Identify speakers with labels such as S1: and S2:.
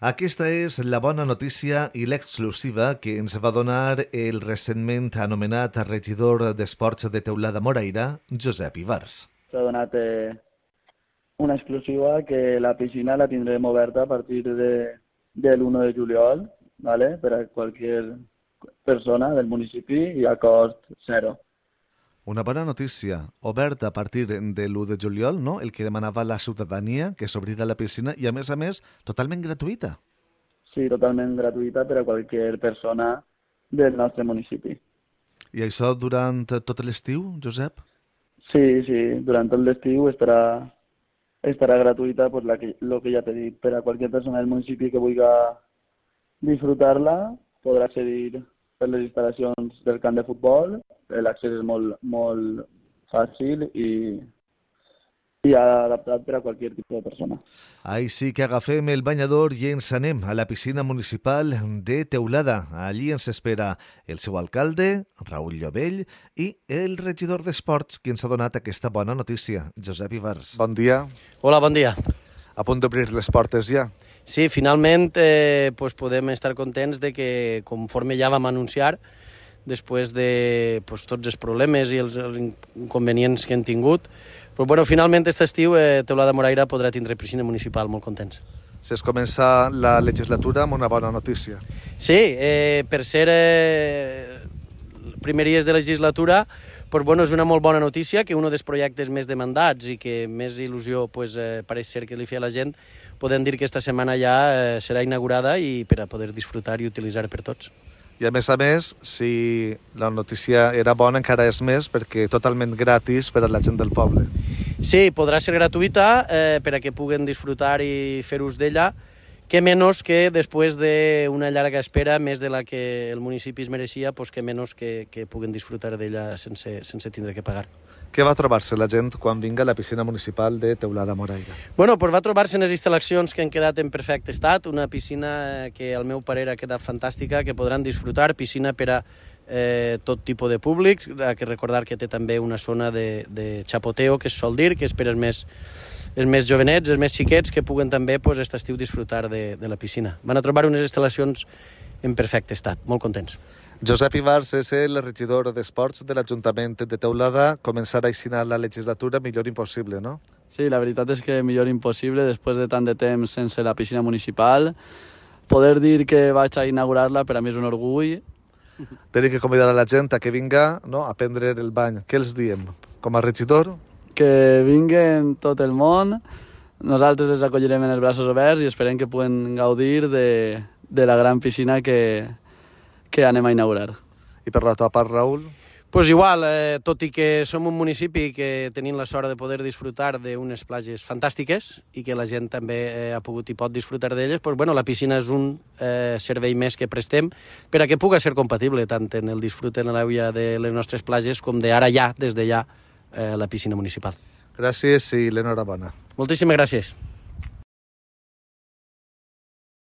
S1: Aquesta és la bona notícia i l'exclusiva que ens va donar el recentment anomenat regidor d'Esports de Teulada Moraira, Josep Ivars.
S2: S'ha donat una exclusiva que la piscina la tindrem oberta a partir de l'1 de juliol, ¿vale? Per a qualsevol persona del municipi i a cost zero.
S1: Una bona notícia, oberta a partir de l'1 de juliol, no? El que demanava la ciutadania, que s'obrirà la piscina i, a més, totalment gratuïta.
S2: Sí, totalment gratuïta per a qualsevol persona del nostre municipi.
S1: I això durant tot l'estiu, Josep?
S2: Sí, durant tot l'estiu estarà gratuïta, pues, lo que ja t'he dit, per a qualsevol persona del municipi que vulgui disfrutar-la, podrà accedir per les instal·lacions del camp de futbol. L'accés és molt fàcil i adaptat per a qualsevol tipus de persona.
S1: Ahí sí que agafem el banyador i ens anem a la piscina municipal de Teulada. Allí ens espera el seu alcalde, Raül Llovell, i el regidor d'Esports, qui ens ha donat aquesta bona notícia, Josep Ivars. Bon dia.
S3: Hola, bon dia.
S1: A punt d'obrir les portes ja.
S3: Sí, finalment podem estar contents de que, conforme ja vam anunciar, després de tots els problemes i els inconvenients que hem tingut, però finalment aquest estiu Teulada Moraira podrà tindre piscina municipal, molt contents.
S1: Es comença la legislatura amb una bona notícia.
S3: Sí, per ser primeries de legislatura, és una molt bona notícia que un dels projectes més demandats i que més il·lusió pareix ser que li feia la gent, podem dir que esta setmana ja serà inaugurada i per a poder disfrutar i utilitzar per tots.
S1: I a més, si la notícia era bona, encara és més, perquè totalment gratis per a la gent del poble.
S3: Sí, podrà ser gratuïta per a que puguen disfrutar i fer ús d'ella, que menys que després d'una llarga espera, més de la que el municipi es mereixia, que menys que puguen disfrutar d'ella sense tindre que pagar.
S1: Què va trobar-se la gent quan vinga a la piscina municipal de Teulada Moraira?
S3: Va trobar-se en les instal·lacions que han quedat en perfecte estat, una piscina que al meu parer ha quedat fantàstica, que podran disfrutar, piscina per a tot tipus de públics, que recordar que té també una zona de xapoteo, que es sol dir, que és per als més jovenets, els més xiquets, que puguen també aquest estiu disfrutar de la piscina. Van a trobar unes instal·lacions en perfecte estat, molt contents.
S1: Josep Ivars és el regidor d'Esports de l'Ajuntament de Teulada. Començar a així la legislatura millor impossible, no?
S4: Sí, la veritat és que millor impossible, després de tant de temps sense la piscina municipal. Poder dir que vaig a inaugurar-la per a mi és un orgull.
S1: Tenim que convidar a la gent a que vinga, no?, a prendre el bany. Què els diem? Com a regidor?
S4: Que vinguen tot el món. Nosaltres les acollirem en els braços oberts i esperem que puguen gaudir de la gran piscina que anem a inaugurar.
S1: I per la tua part, Raül?
S3: Igual, tot i que som un municipi que tenim la sort de poder disfrutar d'unes platges fantàstiques i que la gent també ha pogut i pot disfrutar d'elles, la piscina és un servei més que prestem per a que pugui ser compatible tant en el disfrut en l'aigua de les nostres platges com d'ara ja, des de ja, la piscina municipal.
S1: Gràcies i l'enhorabona.
S3: Moltíssimes gràcies.